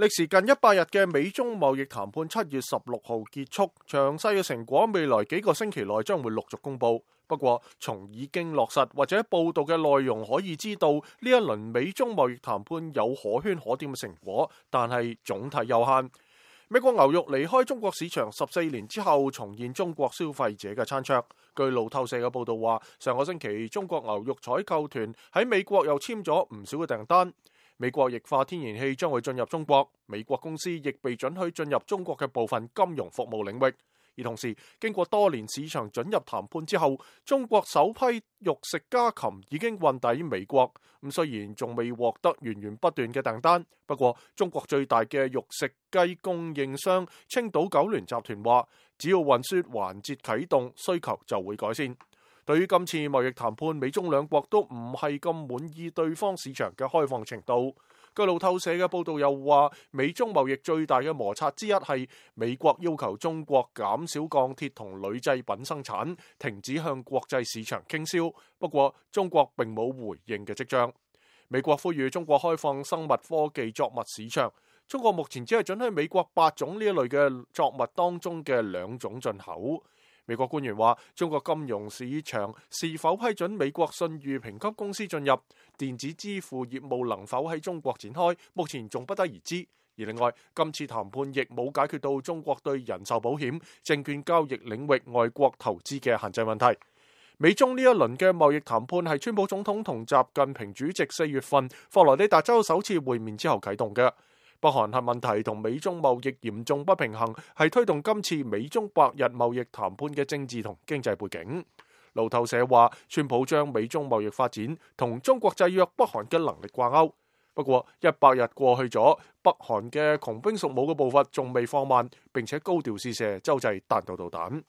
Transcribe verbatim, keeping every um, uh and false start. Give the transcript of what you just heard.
歷時近一百日嘅美中貿易談判七月十六號結束，詳細嘅成果未來幾個星期內將會陸續公布。不過，從已經落實或者報道嘅內容可以知道，呢一輪美中貿易談判有可圈可點嘅成果，但係總體有限。美國牛肉離開中國市場十四年之後，重現中國消費者嘅餐桌。據路透社嘅報道話，上個星期中國牛肉採購團喺美國又簽咗唔少嘅訂單。美國液化天然氣將會進入中國，美國公司亦被准許進入中國嘅部分金融服務領域。而同時，經過多年市場准入談判之後，中國首批肉食家禽已經運抵美國。咁雖然仲未獲得源源不斷嘅訂單，不過中國最大嘅肉食雞供應商青島九聯集團話，只要運輸環節啟動，需求就會改善。對於今次貿易談判，美中兩國都唔係咁滿意對方市場嘅開放程度。據路透社嘅報道又話，美中貿易最大嘅摩擦之一係美國要求中國減少鋼鐵同鋁製品生產，停止向國際市場傾銷。不過中國並冇回應嘅跡象。美國呼籲中國開放生物科技作物市場，中國目前只係准許美國八種呢一類嘅作物當中嘅兩種進口。美國官員話，中國金融市場是否批准美國信譽評級公司進入，電子支付業務能否喺中國展開，目前仲不得而知。而另外，今次談判亦冇解決到中國對人壽保險、證券交易領域外國投資嘅限制問題。美中呢一輪嘅貿易談判係川普總統同習近平主席四月份佛羅里達州首次會面之後啟動嘅。北韓核問題同美中貿易嚴重不平衡係推動今次美中百日貿易談判嘅政治同經濟背景。路透社話，川普將美中貿易發展同中國制約北韓嘅能力掛鈎。不過一百日過去咗，北韓嘅窮兵黩武嘅步伐仲未放慢，並且高調試射洲際彈道導彈。